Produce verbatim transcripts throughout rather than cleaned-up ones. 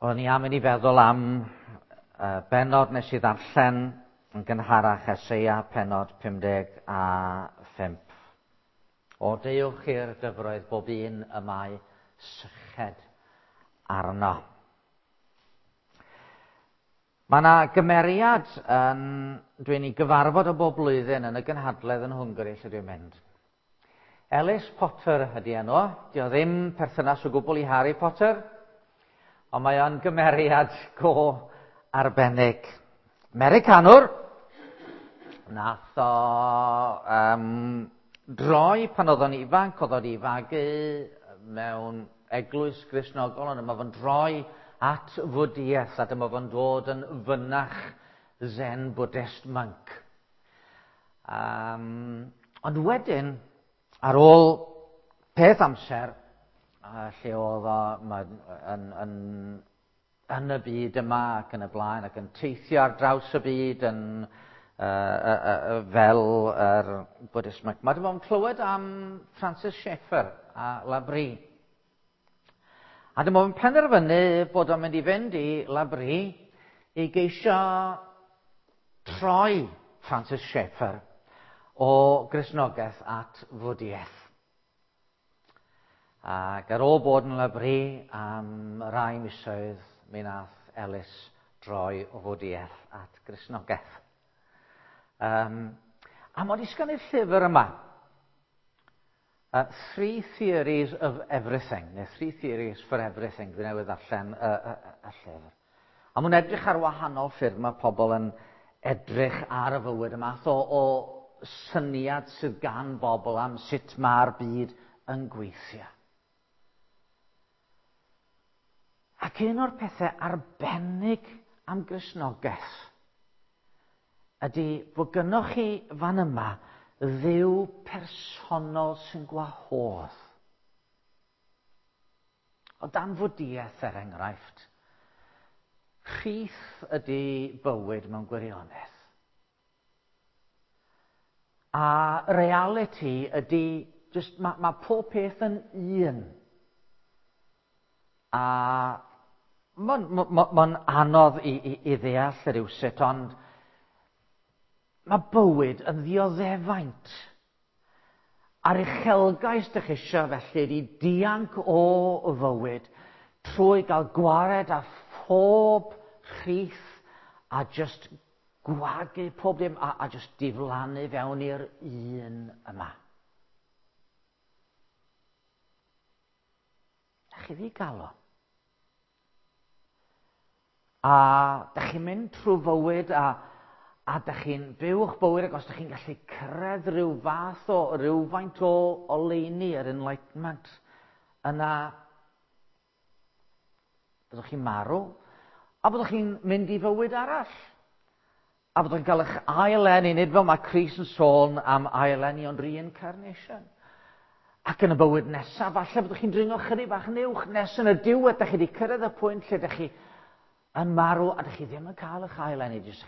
O'n i am i ni feddwl am uh, bennod nes i ddarllen yn gynharach, Eseia pennod pum deg a phump. O deuwch i'r dyfroedd bob un y mae syched arno. Mae yna gymeriad yn, dwi'n ei gyfarfod o bob blwyddyn yn y gynhadledd yn Hwngari lle dwi'n mynd. Ellis Potter ydy enw. Dio ddim perthynas o gwbl i Harry Potter, ond mae o'n gymeriad go arbennig. Americanwr, nath o um, droi pan oedd o'n ifanc, oedd o'n ifagu mewn eglwys Gristnogol, ond yma fo'n droi at Fwdiaeth, a dyma fo'n dod yn fynach Zen Buddhist monk. Um, ond wedyn, ar ôl peth amser, uh, lle oedd o yn, yn, yn y byd yma ac yn y blaen, ac yn teithio ar draws y byd yn, uh, uh, uh, fel yr Buddhist monk. Mae dyma fo'n clywed am Francis Schaeffer a L'Abri. A dyma fo'n penderfynu bod o'n mynd i fynd i L'Abri i geisio troi Francis Schaeffer o Gristnogaeth at Fwdiaeth. Ac ar ôl bod yn L'Abri am rai misoedd, mi nath Ellis droi o Fwdiaeth at Gristnogaeth. Um, a mod i sgwennu'r llyfr yma, Uh, Three Theories of Everything, neu Three Theories for Everything, dwi newydd ddarllen y, y, y, y llyfr. A mwyn edrych ar wahanol ffyrdd mae pobl yn edrych ar y fywyd, y math o, o syniad sydd gan bobl am sut mae'r byd yn gweithio. Ac un o'r pethau arbennig am Gristnogaeth ydy bod gynnoch chi fan yma Dduw personol sy'n gwahodd. O dan Fwdiaeth, er enghraifft, rhith ydy bywyd mewn gwirionedd. A reality ydy, just, mae ma pob peth yn un. A mae'n ma, ma, ma anodd i, i, i ddeall rywsut, ond mae bywyd yn ddioddefaint. A'r uchelgais dych eisiau felly ydy dianc o fywyd trwy gael gwared â phob rhith a just gwagu pob dim a, a just diflannu fewn i'r un yma. Da chi ddigalon. A da chi'n mynd trwy fywyd a A da chi'n byw eich bywyd, ac os da chi'n gallu cyrraedd rhyw fath o, rhywfaint o oleuni, yr enlightenment, yna byddwch chi'n marw, a byddwch chi'n mynd i fywyd arall. A byddwch chi'n cael eich ail-eni, nid fel mae Crist yn sôn am ail-eni, ond reincarnation. Ac yn y bywyd nesaf, falle byddwch chi'n dringo chydig bach yn uwch, nes yn y diwedd, da chi wedi cyrraedd y pwynt lle da chi yn marw, a dych chi ddim yn cael eich ail-eni, jyst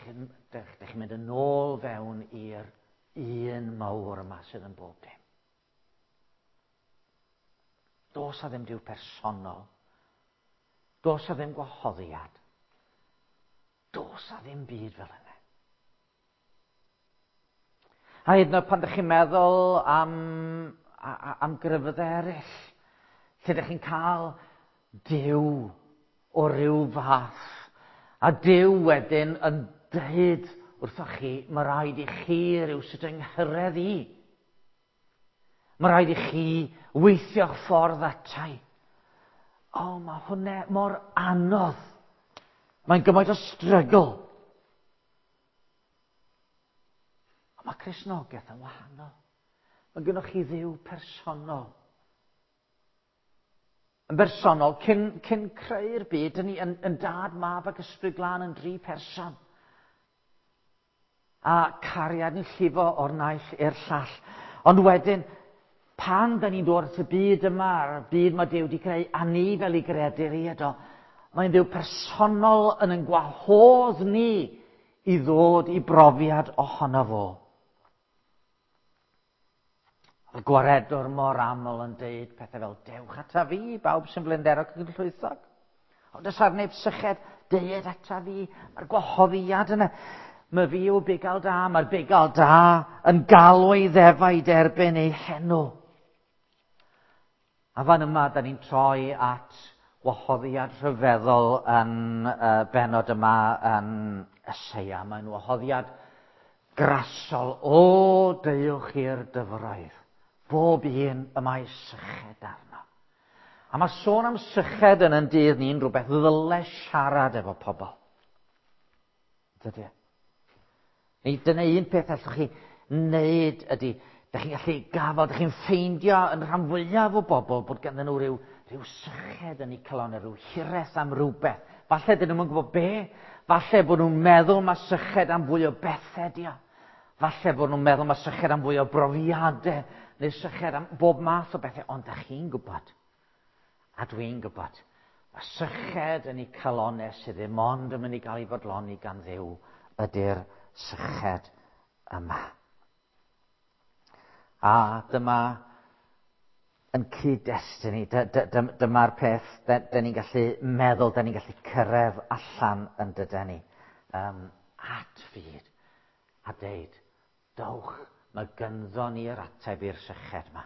dych chi'n mynd yn ôl fewn i'r un mawr yma sydd yn bob dim. Does a ddim Duw personol. Does a ddim gwahoddiad. Does a ddim byd fel yna. A hyd yn oed pan dych chi'n meddwl am, am grefyddau eraill, lle dych chi'n cael Duw o ryw fath, a Duw wedyn yn dweud wrthoch chi, mae rhaid i chi rywsut yng nghyrraedd i. Mae rhaid i chi weithio'ch ffordd atai. O, mae hwnna mor anodd. Mae'n gymaint o struggle. Ond mae Cristnogaeth yn wahanol. Mae gennych chi Dduw personol. Yn bersonol, cyn, cyn creu'r byd, dyn ni yn, yn dad, mab ac ysbryd glân yn dri person. A cariad yn llifo o'r naill i'r llall. Ond wedyn, pan da ni'n dod at y byd yma, a'r byd mae Duw wedi creu, a ni fel ei greaduriaid o, mae'n Dduw personol yn yn gwahodd ni i ddod i brofiad ohono fo. Y gwaredwr mor aml yn deud pethau fel, dewch ata fi, bawb sy'n flinderog ac yn llwythog. Ond os ar neb syched, deued ata fi. Mae'r gwahoddiad yna. Mae fi yw bugail da, mae'r bugail da yn galw ei ddefaid erbyn ei henw. A fan yma, da ni'n troi at wahoddiad rhyfeddol yn uh, benod yma yn Eseia. Mae'n wahoddiad grasol. O, deuwch i'r dyfroedd. Bob un y mae syched arno. A mae sôn am syched yn yn dydd ni'n rhywbeth ddyle siarad efo pobl. Dydy. Neu dyna un peth allwch chi wneud ydy, da chi'n gallu gafel, da chi'n ffeindio yn rhan fwyaf o bobl bod ganddyn nhw rhyw, rhyw syched yn eu calon, rhyw hiraeth am rhywbeth. Falle dyn nhw'n gwybod be, falle bod nhw'n meddwl mae syched am fwy o bethau di o. Falle bod nhw'n meddwl mae syched am fwy o brofiadau, neu syched am bob math o bethau, ond da chi'n gwybod, a dwi'n gwybod, mae syched yn eu calonau sydd ddim ond yn mynd i gael ei fodloni gan Dduw ydy'r syched yma. A dyma yn cyd-destun ni, dyma'r peth dyn ni'n gallu meddwl, dyn ni'n gallu cyrraedd allan yn dydyn ni, um, at fyd, a deud, dowch, mae gynddo ni yr ateb i'r syched yma.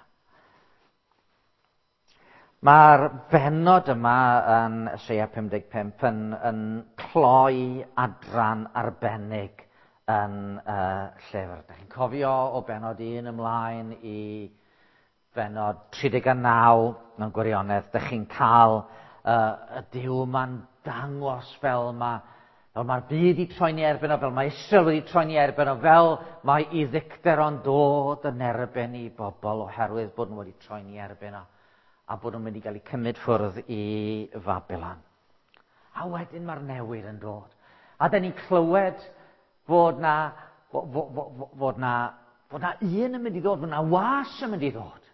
Mae'r bennod yma yn Eseia pum deg pump yn, yn cloi adran arbennig yn uh, llyfr. Da chi'n cofio o bennod un ymlaen i bennod tri deg naw mewn gwirionedd. Da chi'n cael uh, y Duw yma'n dangos fel mae fel mae'r byd i troi'n erbyn o, fel mae Israel wedi troi'n erbyn o, fel mae i ddicter o'n dod yn erbyn i bobl oherwydd bod nhw wedi troi'n erbyn o, a bod nhw'n mynd i gael eu cymryd ffwrdd i Fabilon. A wedyn mae'r newid yn dod. A da ni'n clywed fod na, fod, fod, fod na, fod na un yn mynd i ddod, fod na was yn mynd i ddod.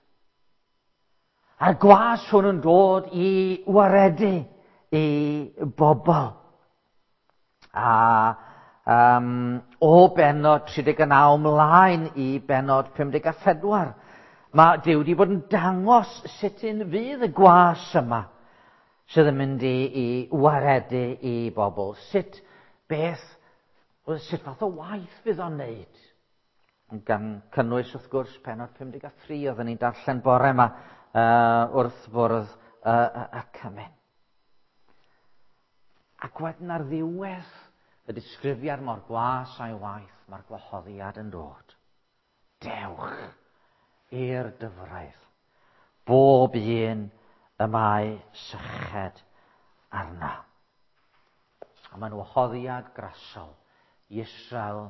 A'r gwas hwn yn dod i waredu i bobl. A um, o bennod tri deg naw ymlaen i bennod pum deg pedwar, mae Duw wedi bod yn dangos sut un fydd y gwas yma sydd yn mynd i, i waredu i bobl. Sut beth, sut fath o waith fydd o'n wneud? Gan cynnwys, wrth gwrs, pennod pum deg tri oedden ni'n darllen bore yma uh, wrth fwrdd uh, y cymun. Ac wedyn ar ddiwedd y disgrifiad mor gwas a'i waith, mae'r gwahoddiad yn dod. Dewch i'r dyfroedd, bob un y mae syched arno. A mae'n wahoddiad grasol i Israel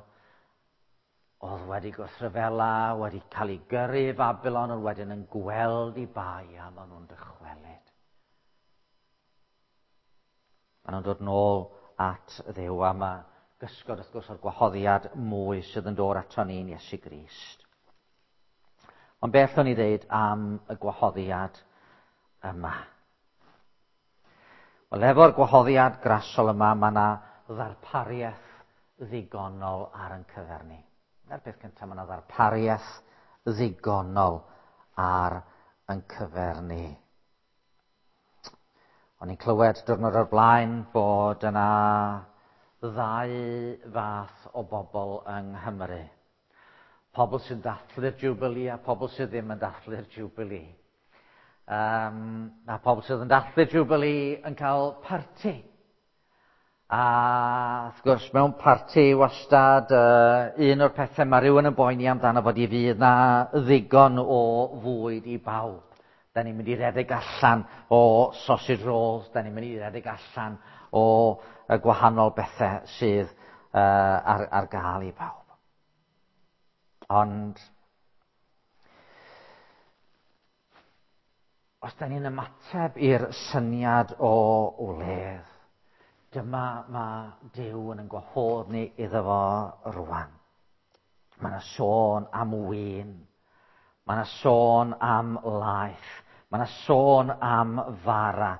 oedd wedi gwrthryfela, wedi cael ei gyrru i Fabilon, ond wedyn yn gweld i bai a maen nhw'n dychwelyd. Maen nhw'n dod nôl at Dduw, a mae gysgod wrth gwrs o'r gwahoddiad mwy sydd yn dod ato ni'n Iesu Grist. Ond beth o'n i ddeud am y gwahoddiad yma? Wel, efo'r gwahoddiad grasol yma, mae yna ddarpariaeth ddigonol ar ein cyfer ni. Dyna'r peth cyntaf, mae yna ddarpariaeth ddigonol ar ein cyfer ni. O'n i'n clywed diwrnod o'r blaen bod yna ddau fath o bobl yng Nghymru. Pobl sy'n dathlu'r Jubilee a pobl sydd ddim yn dathlu'r Jubilee. Um, a pobl sydd yn dathlu'r Jubilee yn cael parti. A wrth gwrs, mewn parti wastad, uh, un o'r pethau mae rhywun yn boeni amdano fod i fydd na ddigon o fwyd i bawb. Da ni'n mynd i redeg allan o sausage rolls, da ni'n mynd i redeg allan o y gwahanol bethau sydd uh, ar, ar gael i bawb. Ond os da ni'n ymateb i'r syniad o wledd, dyma mae Duw yn ein gwahodd ni iddo fo rwan. Mae yna sôn am win, mae yna sôn am laeth, mae yna sôn am fara,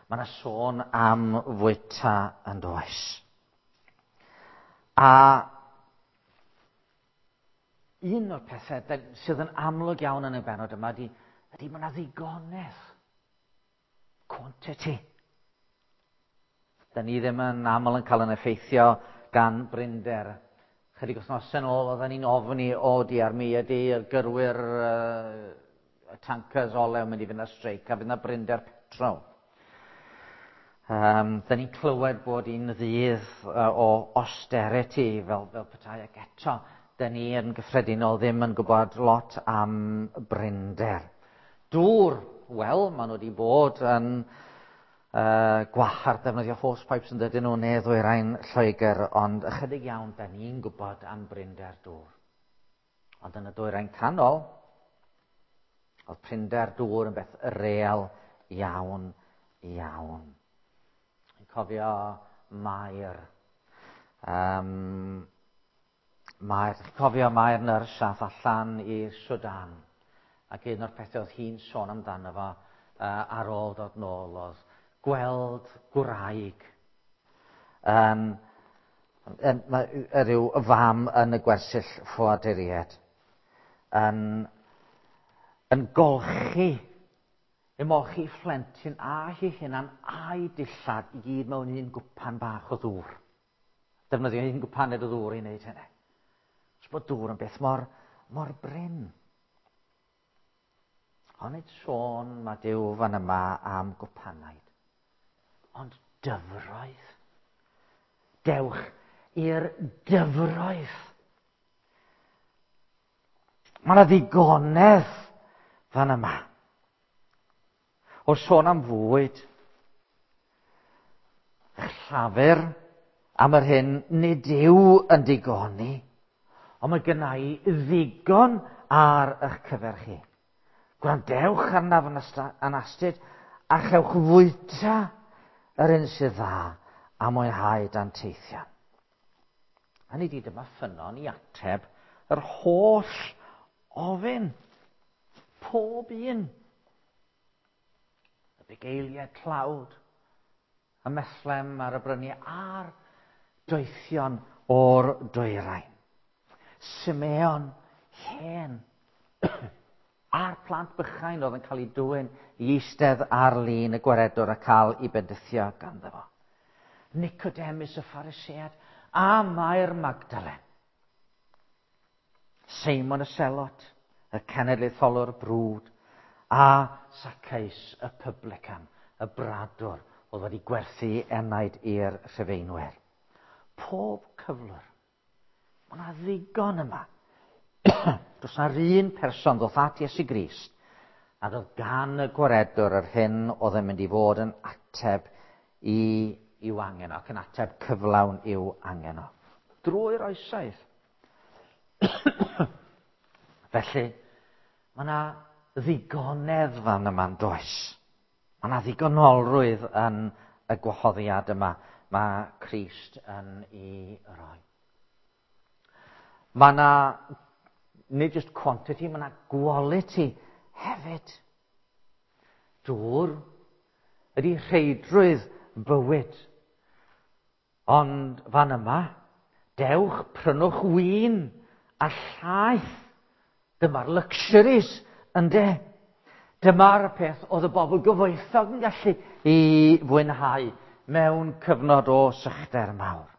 mae yna sôn am fwyta yn does. A un o'r pethau sydd yn amlwg iawn yn y bennod yma ydy, ydy mae yna ddigonedd. Quantity. Da ni ddim yn aml yn cael yn effeithio gan brinder. Chydig wythnosau yn ôl, oedden ni'n ofni, o diar mi ydy'r gyrwyr uh, tankers olew yn mynd i fynd ar streic a fydd yna brinder petrol. Um, da ni'n clywed bod un ddydd uh, o austerity fel, fel petai, ac eto, da ni yn gyffredinol ddim yn gwybod lot am brinder. Dŵr, wel, maen nhw wedi bod yn uh, gwahardd defnyddio hose pipes yn dydyn nhw neu ddwyrain Lloegr, ond ychydig iawn da ni'n gwybod am brinder dŵr. Ond yn y dwyrain canol, oedd prinder dŵr yn beth real iawn, iawn. Yn cofio Mair. Um, Mair, cofio Mair nyrs ath allan i'r Sudan. Ac un o'r pethau oedd hi'n sôn amdano fo uh, ar ôl dod nôl oedd gweld gwraig yn, yn, yn, rhyw fam yn y gwersyll ffoaduriaid yn, yn golchi, ymolchi phlentyn a hi hunan a'i dillad i gyd mewn un gwpan bach o ddŵr. Defnyddio un gwpaned o ddŵr i wneud hynny. Os bod dŵr yn beth mor, mor brin. Ond nid sôn mae Duw fan yma am gwpanaid, ond dyfroedd. Dewch i'r dyfroedd. Mae yna ddigonedd fan yma. O sôn am fwyd, eich llafur am yr hyn nid yw yn digoni, ond mae gynna i ddigon ar eich cyfer chi. Gwrandewch arnaf yn astud a chewch fwyta yr un sydd dda a mwynhau danteithion. Hynny ydi, dyma ffynnon i ateb yr holl ofyn. Pob un. Y bugeiliaid tlawd, y Methlem ar y bryniau a'r doethion o'r dwyrain. Simeon hen. A'r plant bychain oedd yn cael eu dwyn i eistedd ar lin y gwaredwr a cael ei bendithio ganddo fo. Nicodemus y Pharisead a Mair Magdalen. Seimon y Selot, y cenedlaetholwr brwd, a Zacchaeus y publican, y bradwr, oedd wedi gwerthu enaid i'r Rhufeinwyr. Pob cyflwr. Mae yna ddigon yma. Does na'r un person ddoth at Iesu Grist a doedd gan y gwaredwr yr hyn oedd yn mynd i fod yn ateb i, i'w angen o, ac yn ateb cyflawn i'w angen o. Drwy'r oesoedd. Felly, mae yna ddigonedd fan yma'n does. Mae yna ddigonolrwydd yn y gwahoddiad yma mae Crist yn ei roi. Mae yna nid just quantity, mae yna quality hefyd. Dŵr ydy rheidrwydd bywyd. Ond fan yma, dewch prynwch win a llaeth. Dyma'r luxuries, ynde? Dyma'r peth oedd y bobl gyfoethog yn gallu i fwynhau mewn cyfnod o sychder mawr.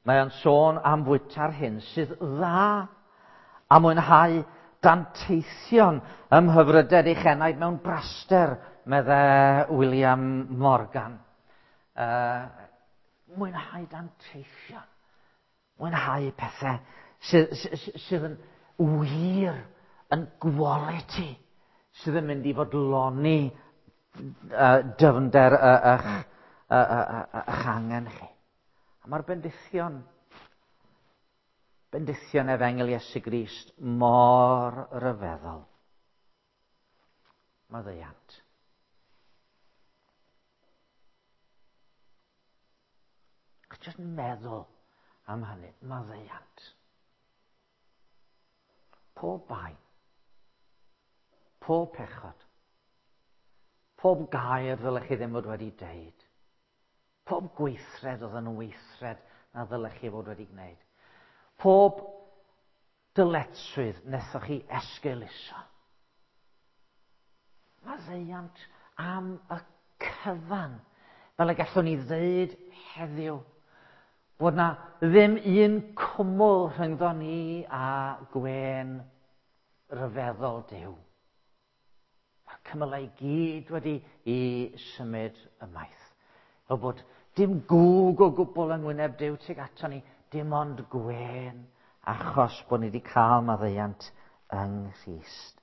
Mae o'n sôn am fwyta'r hyn sydd dda a mwynhau danteithion ym mhyfrydedd eich enaid mewn braster, medde William Morgan. Uh, mwynhau danteithion. Mwynhau pethau sydd, sydd, sydd yn wir, yn quality, sydd yn mynd i fodloni uh, dyfnder eich uh, angen chi. A mae'r bendithion, bendithion Efengyl Iesu Grist mor ryfeddol. Maddeuant. Jyst meddwl am hynny, maddeuant. Pob bai, pob pechod, pob gair ddylech chi ddim fod wedi deud, pob gweithred oedd yn weithred na ddylech chi fod wedi gwneud, pob dyletswydd wnaethoch chi esgeuluso. Maddeuant am y cyfan, fel y gallwn ni ddeud heddiw, bod na ddim un cwmwl rhyngddo ni a gwên ryfeddol Duw. Mae'r cymylau i gyd wedi i symud ymaith. Fel bod dim gwg o gwbl yng ngwyneb Duw tuag ato ni, dim ond gwên, achos bod ni wedi cael maddeuant yng Nghrist.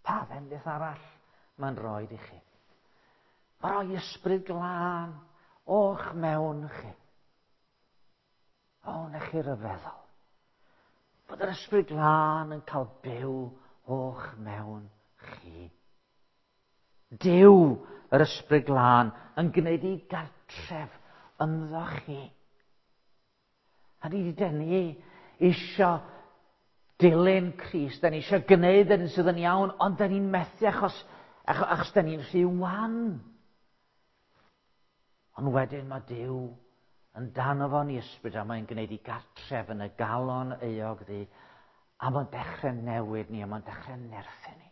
Pa fendith arall mae'n rhoi i chi? Mae'n rhoi ysbryd glân o'ch mewn chi. O, na chi ryfeddol. Bod yr ysbryd glân yn cael byw o'ch mewn chi. Duw, yr ysbryd glân, yn gwneud i gartref ynddo chi. A ni wedi denu isio dilyn Crist, da ni eisiau gwneud yr un sydd yn iawn, ond da ni'n methu achos, achos, achos da ni'n rhy wan. Ond wedyn mae Duw yn danfon i ysbryd a mae'n gwneud i gartref yn y galon euog ddi, a mae'n dechrau newid ni, a mae'n dechrau nerthu ni.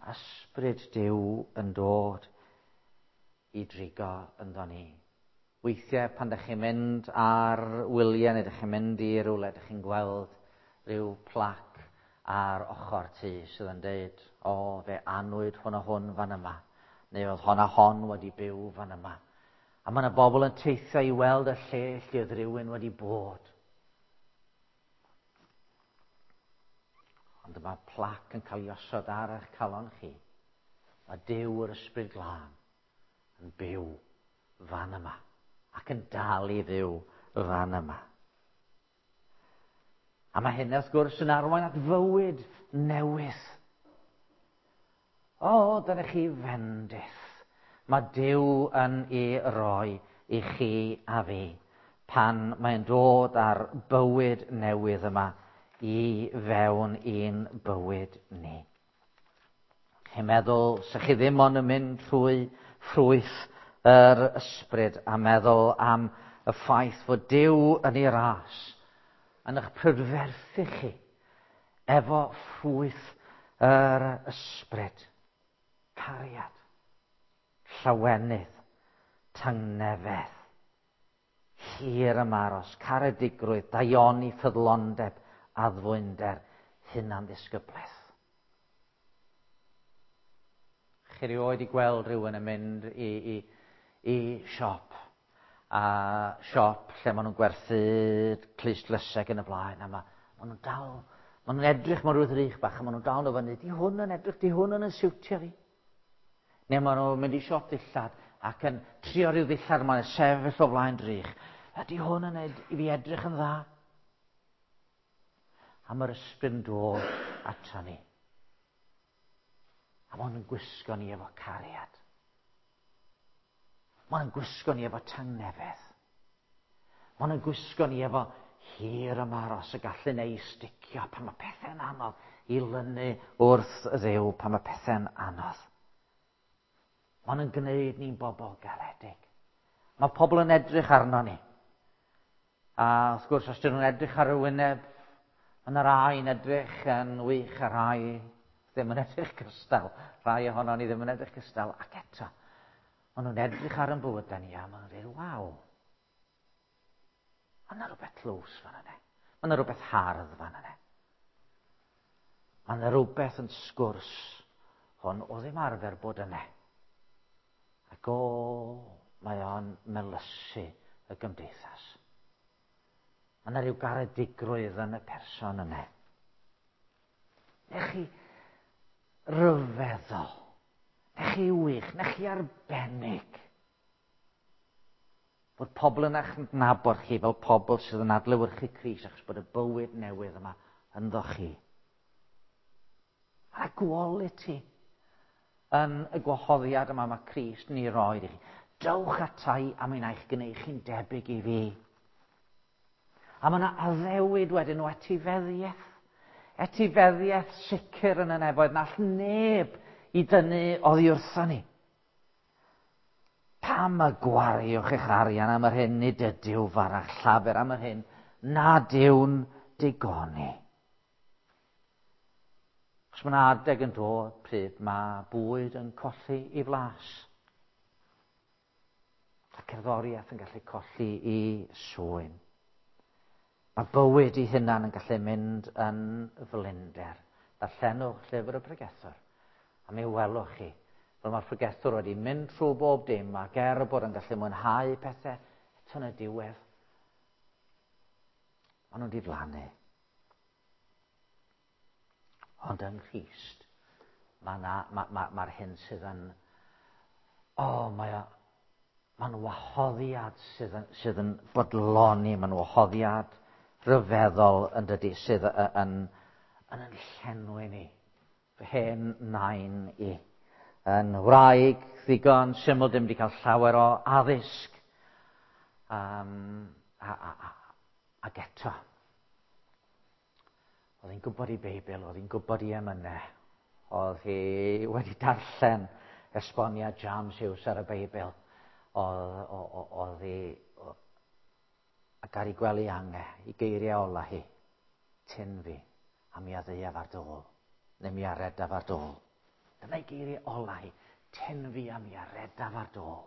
Ysbryd Duw yn dod i drigo ynddo ni. Weithiau pan ydych chi'n mynd ar wyliau neu ydych chi'n mynd i rywle, ydych chi'n gweld rhyw plac ar ochr tŷ sydd yn deud, o, fe anwyd hwn a hwn fan yma, neu oedd hon a hon wedi byw fan yma. A mae yna bobl yn teithio i weld y lle lle oedd rhywun wedi bod. Ond mae plac yn cael ei osod ar eich calon chi. Mae Duw yr Ysbryd Glân yn byw fan yma ac yn dal i fyw fan yma. A mae hyn, wrth gwrs, yn arwain at fywyd newydd. O, dyna chi fendith. Mae Duw yn ei roi i chi a fi pan mae'n dod â'r bywyd newydd yma i fewn i'n bywyd ni. Chi'n meddwl, sa chi ddim ond yn mynd trwy ffrwyth yr ysbryd a meddwl am y ffaith fod Duw yn ei ras yn eich prydferthu chi efo ffrwyth yr ysbryd. Cariad, llawenydd, tangnefedd, hir ymaros, caredigrwydd, daioni, ffyddlondeb, addfwynder, hunanddisgyblaeth. Chi rioed i gweld rhywun yn mynd i, i, i siop, a siop lle maen nhw'n gwerthu clustdlysau yn y blaen, a ma, maen nhw'n dal, maen nhw'n edrych mewn rhyw ddrych bach, a maen nhw'n dal nhw fyny, di hwn yn edrych, di hwn yn siwtio fi. Neu maen nhw'n mynd i siop ddillad ac yn trio rhyw ddillad, maen nhw'n sefyll o flaen drych. Ydy hwn yn ed- i fi edrych yn dda? A mae'r ysbryd yn dod ato ni. A maen nhw'n gwisgo ni efo cariad. Maen nhw'n gwisgo ni efo tangnefedd. Maen nhw'n gwisgo ni efo hir ymaros y gallu neu sticio pan mae pethau'n anodd, i lynu wrth Dduw pan mae pethau'n anodd. Maen nhw'n gwneud ni'n bobl garedig. Mae pobl yn edrych arno ni. A wrth gwrs, os dyn nhw'n edrych ar y wyneb, mae yna rai yn edrych yn wych a rai ddim yn edrych cystal. Rai ohono ni ddim yn edrych cystal. Ac eto, maen nhw'n edrych ar yn bywydau ni a maen nhw'n dweud, waw, mae yna rhywbeth tlws fan yna. Mae yna rhywbeth hardd fan yna. Mae yna rhywbeth yn sgwrs hwn o ddim arfer bod yna. Ac o, mae o'n melysu y gymdeithas. Mae yna rhyw garedigrwydd yn y person yna. Nech chi ryfeddol, nech chi wych, nech chi arbennig. Bod pobl yn eich nabod chi fel pobl sydd yn adlewyrchu Crist achos bod y bywyd newydd yma ynddo chi. Mae quality yn y gwahoddiad yma mae Crist yn ei roi i chi. Dewch atai a mi wna i'ch gwneud chi'n debyg i fi. A mae yna addewid wedyn o etifeddiaeth. Etifeddiaeth sicr yn y nefoedd na all neb i dynnu oddi wrtho ni. Pam y gwariwch eich arian am yr hyn nid ydyw farach llafur am yr hyn nad yw'n digoni. Os mae'n adeg yn dod pryd mae bwyd yn colli i flas. A cerddoriaeth yn gallu colli i swyn. Mae bywyd ei hunan yn gallu mynd yn flinder. Darllenwch llyfr y pregethwr, a mi welwch chi fel mae'r pregethwr wedi mynd trwy bob dim ac er bod yn gallu mwynhau pethau, eto yn y diwedd, maen nhw'n diflannu. Ond yng Nghrist, mae'r ma, ma, ma, ma hyn sydd yn... O, oh, mae o, mae'n wahoddiad sydd yn, sydd yn bodloni, mae'n wahoddiad rhyfeddol yn dydy, sydd yn, yn, yn, yn llenwi ni. Fy hen nain i. Yn wraig ddigon syml, dim wedi cael llawer o addysg. Um, a, a, a, ac eto, oedd hi'n gwybod i Beibl, oedd hi'n gwybod i emynau, oedd hi wedi darllen esboniad James Hughes ar y Beibl, oedd, oedd hi, ac ar ei gwely ange, i geiriau ola hi, tyn fi, a mi a ddeuaf ar dôl, neu mi a redaf ar dôl. Dyna'i geiriau ola hi, tyn fi a mi a redaf ar dôl.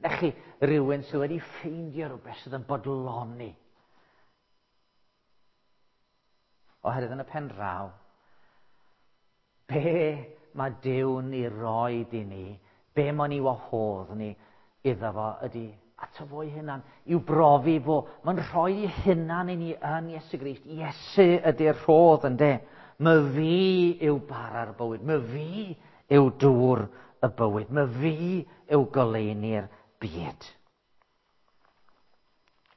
Na chi rhywun sydd wedi ffeindio rhywbeth sydd yn bodloni. Oherwydd yn y pen draw, be mae Duw'n ei roed i ni, be mae'n ei wahodd ni iddo fo ydy ato fo'i hunan, i'w brofi fo. Mae'n rhoi ei hunan i ni yn Iesu Grist. Iesu ydy'r rhodd, ynde? My fi yw bara'r bywyd, my fi yw dŵr y bywyd, my fi yw goleuni'r byd.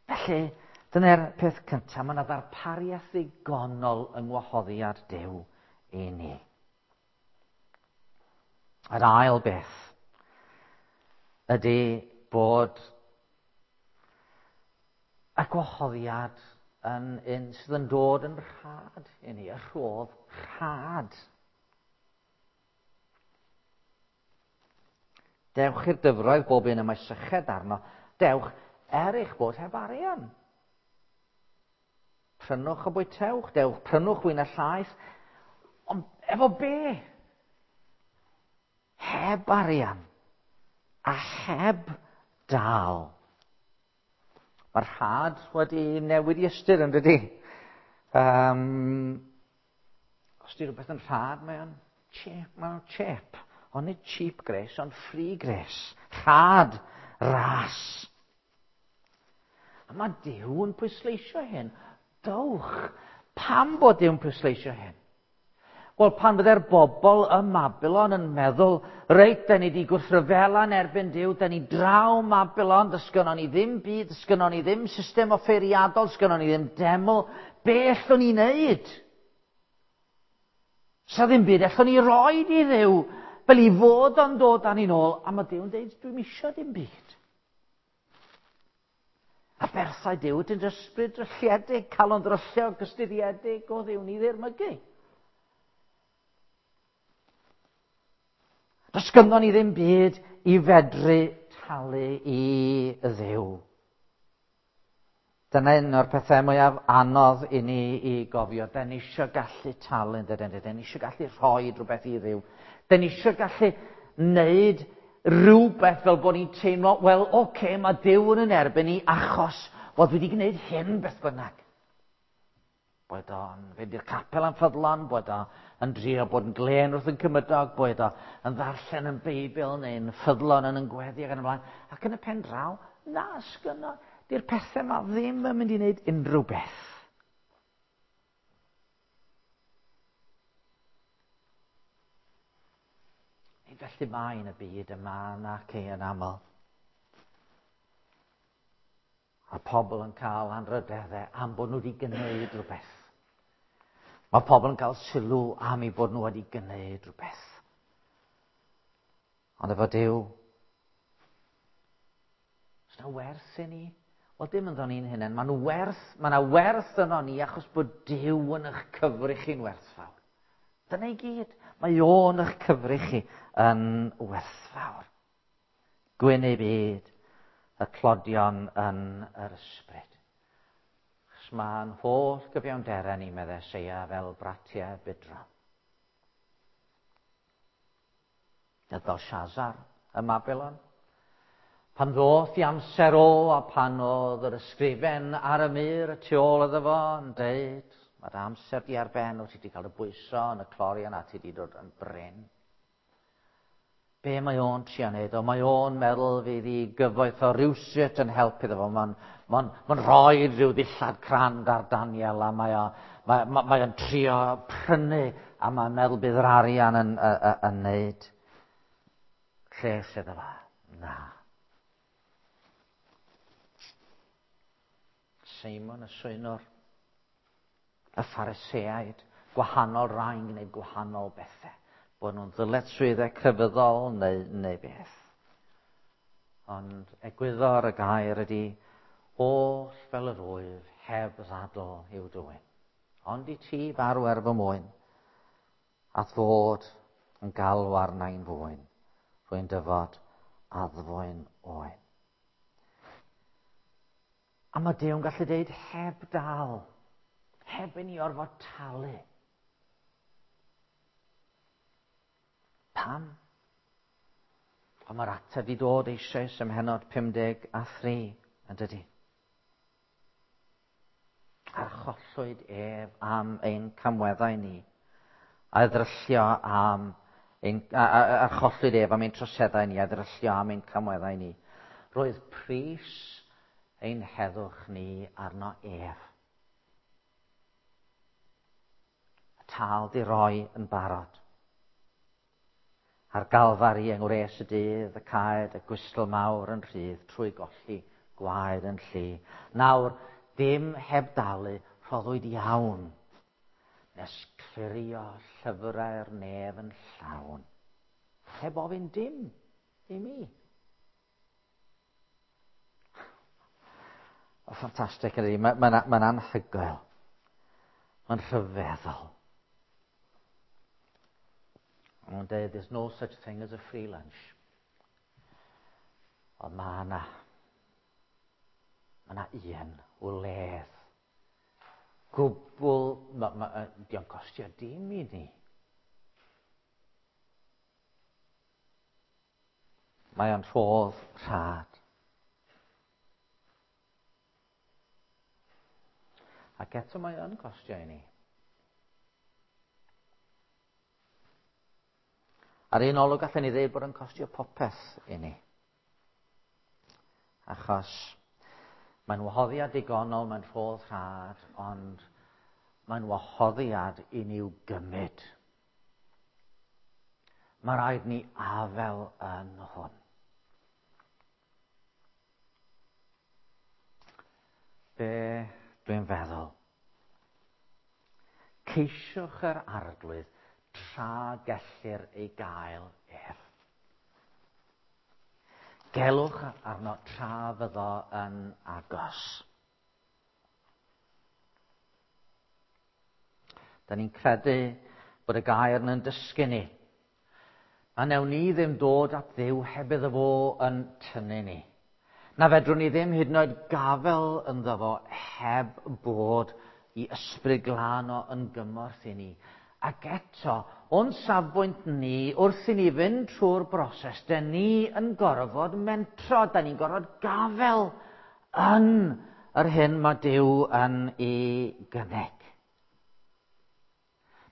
Felly, dyna'r peth cyntaf, mae yna ddarpariaeth ddigonol yng ngwahoddiad Duw i ni. Yr ail beth ydy bod y gwahoddiad yn un sydd yn dod yn rhad i ni, y rhodd rhad. Dewch i'r dyfroedd bob un y mae syched arno. Dewch er eich bod heb arian. Prynwch a bwytewch, dewch, prynwch wyn a llaeth. Ond efo be? Heb arian a heb dal. Mae'r rhad wedi newid i ystyr, yn dydy? Um, os di rhywbeth yn rhad, mae o'n cheap, mae o'n cheap. Ond nid cheap grace, ond free grace. Rhad, ras. A mae Duw yn pwysleisio hyn. Dowch. Pam bod Duw'n pwysleisio hyn? Wel, pan fydde'r bobl ym Mabilon yn meddwl, reit, da ni wedi gwrthryfela yn erbyn Duw, da ni draw Mabilon, dysgynnon ni ddim byd, dysgynnon ni ddim system offeiriadol, dysgynnon ni ddim deml, be allwn ni wneud? Sa ddim byd allwn ni roed i Dduw, fel i fod o'n dod â ni'n ôl, a mae Duw'n dweud, dwi'm isio dim byd. A berthau Duw, dyn ysbryd drylliedig, calon ddrylliog, gystuddiedig o Dduw ni ddirmygu. Does gynnon ni ddim byd i fedru talu i Dduw. Dyna un o'r pethau mwyaf anodd i ni i gofio. Da ni eisiau gallu talu, yn dydyn? Da ni eisiau gallu rhoi rhywbeth i Dduw. Da ni eisiau gallu wneud rhywbeth fel bod ni'n teimlo, wel, oce, okay, mae Duw yn yn erbyn ni achos fod wedi gwneud hyn beth bynnag. Boed o'n fynd i'r capel am ffyddlon, boed o'n drio bod yn glên wrth yn cymydog, boed o'n ddarllen yn Beibl neu'n ffyddlon yn yn gweddi ac yn y blaen. Ac yn y pen draw, na, sgynno, di'r pethau yma ddim yn mynd i wneud unrhyw beth. Nid felly mae yn y byd yma nac ei yn aml. A pobl yn cael anrydeddau am bod nhw wedi gwneud rhywbeth. Mae pobl yn cael sylw am eu bod nhw wedi gwneud rhywbeth. Ond efo Duw, oes 'na werth i ni? Wel, dim ynddo ni'n hunain. Mae'n werth, mae yna werth yno ni achos bod Duw yn eich cyfri chi'n werthfawr. Dyna i gyd. Mae o'n eich cyfri chi yn werthfawr. Gwyn ei byd, y tlodion yn yr ysbryd. Achos Mae'n holl gyfiawnderau ni, meddai Eseia, fel bratiau budron. Nid Belshazzar ym Mabilon. Pan ddoth i amser o a pan oedd yr ysgrifen ar y mur y tu ôl iddo fo yn deud, mae'r amser di ar ben, o ti wedi cael y bwyso yn y clorian a ti wedi dod yn brin. Be mae o'n trio neud? O, mae o'n meddwl fydd i gyfoeth o rywsut yn helpu iddo fo. Mae'n ma ma rhoi rhyw ddillad crand ar Daniel a mae o'n mae, mae, mae o'n trio prynu a mae'n meddwl bydd yr arian yn, yn, yn neud lles iddo fo. Na. Seimon y Swynwr, y Phariseaid, gwahanol rai'n gwneud gwahanol bethau. Bod nhw'n ddyletswyddau crefyddol neu, neu beth. Ond egwyddor y gair ydy, oll fel yr wyf, heb ddadl i'w dwyn. Ond i ti farw er fy mwyn, a ddod yn galw arna i'n fwyn, rwy'n dyfod addfwyn oen. A mae Duw'n gallu deud heb dal, heb i ni orfod talu. Pam? Ond mae'r ateb i dod eisoes ym mhennod pum deg a thri, yn dydy. Archollwyd ef am ein camweddau ni, a ddryllio am ein, a, a, archollwyd ef am ein troseddau ni, a ddryllio am ein camweddau ni. Roedd pris ein heddwch ni arno ef. Y tâl di roi yn barod. Ar Galfari yng ngwres y dydd, y caed, y gwystl mawr yn rhydd, trwy golli gwaed yn llu. Nawr, dim heb dalu, rhoddwyd iawn, nes clirio llyfrau'r nef yn llawn. Heb ofyn dim i mi. O, ffantastig ydy, mae'n ma, ma anhygoel. Mae'n rhyfeddol. Mae'n dweud, there's no such thing as a free lunch. Ond mae yna, mae yna un wledd. Gwbl, ma, ma, dio'n costio dim i ni. Mae o'n rhodd rhad. Ac eto mae o'n costio i ni. Ar un olwg allan ni ddeud bod yn costio popeth i ni. Achos mae'n wahoddiad digonol, mae'n rhodd rhad, ond mae'n wahoddiad i ni'w gymryd. Mae rhaid ni afel yn hwn. Be dwi'n feddwl? Ceisiwch yr Arglwydd tra gellir ei gael ef. Gelwch arno tra fyddo yn agos. Da ni'n credu bod y gair yn dysgu ni. A newn ni ddim dod at Dduw heb iddo fo yn tynnu ni. Na fedrwn ni ddim hyd yn oed gafel ynddo fo heb bod i ysbryd glân o yn gymorth i ni. Ac eto, o'n safbwynt ni, wrth i ni fynd trwy'r broses, da ni yn gorfod mentro, da ni'n gorfod gafel yn yr hyn mae Duw yn ei gynnig.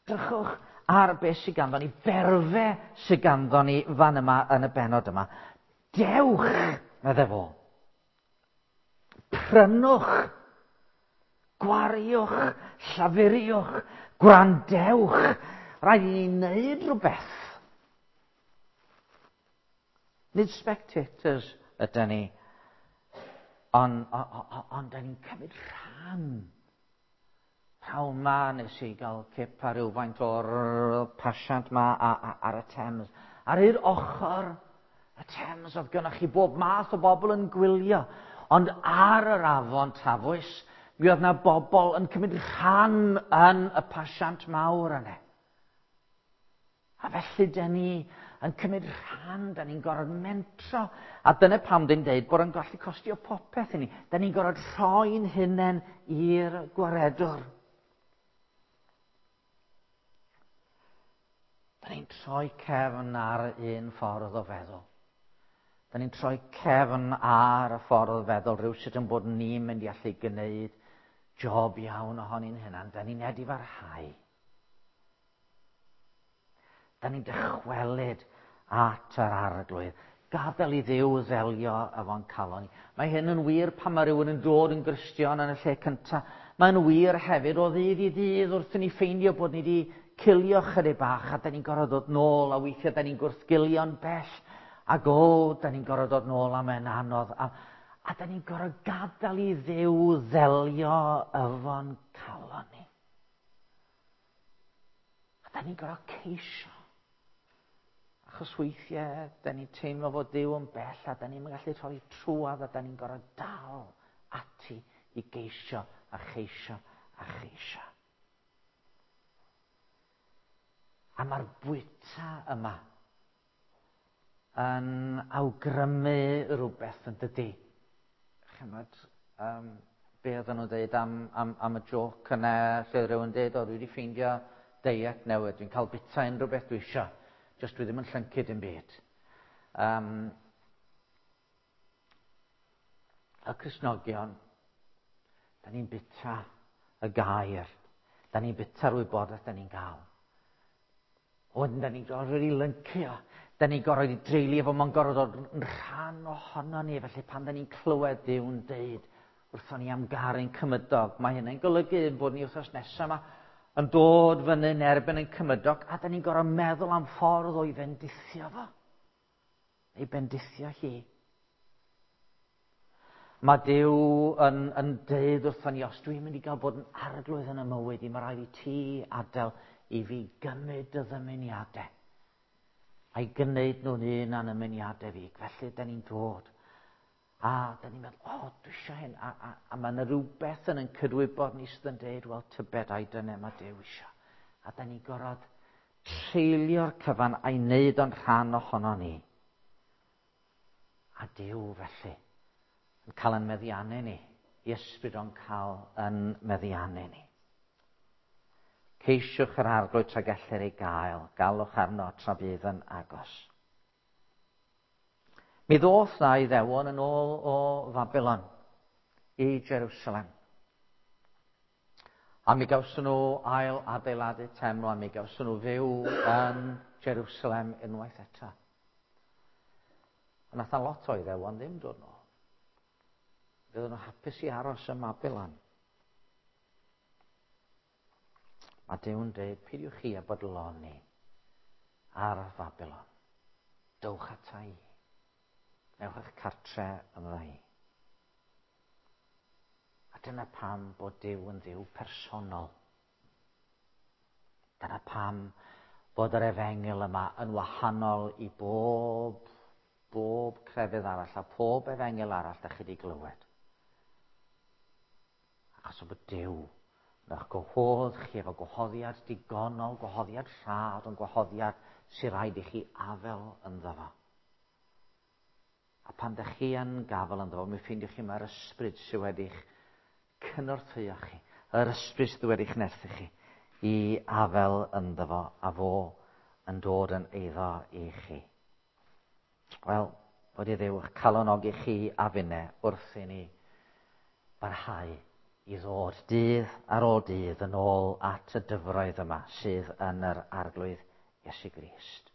Drychwch ar beth sydd ganddo ni, berfe sydd ganddo ni fan yma yn y bennod yma. Dewch, medde fo. Prynwch, gwariwch, llafuriwch, gwrandewch. Rhaid i ni wneud rhywbeth. Nid spectators ydyn ni, ond on, on, on, da ni'n cymryd rhan. Rhawn ma nes i gael cip ar rywfaint o'r pasiant ma ar y Thames. Ar i'r ochr y Thames oedd gynnoch chi bob math o bobl yn gwylio. Ond ar yr afon Tafwys, mi oedd na bobl yn cymryd rhan yn y pasiant mawr yna. A felly dyn ni yn cymryd rhan, da ni'n gorfod mentro. A dyna pam dwi'n deud bod yn gallu costio popeth i ni. Da ni'n gorfod rhoi'n hunain i'r gwaredwr. Da ni'n troi cefn ar un ffordd o feddwl. Da ni'n troi cefn ar y ffordd o feddwl rhywsut yn bod ni'n mynd i allu gwneud job iawn ohoni'n hunan. Da ni'n edifarhau. Da ni'n dychwelyd at yr Arglwydd. Gadael i Dduw ddelio efo'n calon ni. Mae hyn yn wir pan mae rhywun yn dod yn Gristion yn y lle cyntaf. Mae'n wir hefyd o ddydd i ddydd wrth i ni ffeindio bod ni wedi cilio chydig bach a da ni'n gorfod dod nôl, a weithiau da ni'n gwrthgilio'n bell. Ac o, da ni'n gorfod dod nôl a mae'n anodd. A, a da ni'n gorfod gadael i Dduw ddelio efo'n calon ni. A da ni'n gorfod ceisio. Achos weithiau, da ni'n teimlo fod Duw yn bell a da ni'n gallu rhoi trwadd a da ni'n gorfod dal ati i geisio a cheisio a cheisio. A mae'r bwyta yma yn awgrymu rhywbeth yn dydi. Chymod, um, be oedden nhw'n dweud am, am, am y joc yna, lle rhywun dweud, o, dwi wedi ffeindio diet newydd, dwi'n cael bita unrhyw beth dwi isio, jyst dwi ddim yn llyncu dim byd. Um, y Cristnogion, da ni'n bita y gair, da ni'n bita'r wybodaeth da ni'n gael. Wedyn, da ni'n gorfod i lyncu o, da ni'n gorfod i dreulio fo, mae'n gorfod dod yn rhan ohono ni, felly pan da ni'n clywed Duw'n deud wrthon ni am garu'n cymydog, mae hynny'n golygu bod ni wythnos nesaf yma yn dod fyny yn erbyn ein cymydog, a da ni'n gorfod meddwl am ffordd o'i fendithio fo, ei bendithio hi. Mae Duw yn, yn deud wrthon ni, os dwi'n mynd i gael bod yn arglwydd yn y mywyd i, mae rhaid i ti adael i fi gymryd dy ddymuniadau a'i gwneud nhw'n un a'n ymuniadau fi. Felly, da ni'n dod. A da ni'n meddwl, o, oh, dwi eisiau hyn. A, a, a mae yna rhywbeth yn yn cydwybod ni sydd yn deud, wel, tybed ai dyna mae Duw eisiau. A da ni'n gorfod treulio'r cyfan a'i wneud o'n rhan ohono ni. A Duw felly yn cael yn meddiannu ni. I ysbryd o'n cael yn meddiannu ni. Ceisiwch yr Arglwydd tra gellir ei gael, galwch arno tra bydd yn agos. Mi ddoth na Iddewon yn ôl o Fabilon i Jerusalem. A mi gawson nhw ail adeiladu teml, a mi gawson nhw fyw yn Jerusalem unwaith eto. Ond nath na lot o Iddewon ddim dod nôl. Fydden nhw hapus i aros ym Mabilon. Mae Duw'n dweud, peidiwch chi a bodloni ar Fabilon. Dowch ata i. Newch eich cartre ynddo i. A dyna pam bod Duw yn Dduw personol. Dyna pam bod yr efengyl yma yn wahanol i bob, bob crefydd arall a pob efengyl arall da chi wedi glywed. Achos o bod Duw yn eich gwahodd chi efo gwahoddiad digonol, gwahoddiad rhad, ond gwahoddiad sy'n rhaid i chi afel ynddo fo. A pan ydych chi yn gafel ynddo fo, mi ffeindiwch chi mae'r ysbryd sydd wedi'ch cynorthwyo chi, yr ysbryd sydd wedi'ch nerthu chi, i afel ynddo fo, a fo yn dod yn eiddo i chi. Wel, bod i Dduw eich calonogi chi a finne wrth i ni barhau i ddod dydd ar ôl dydd yn ôl at y dyfroedd yma sydd yn yr Arglwydd Iesu Grist.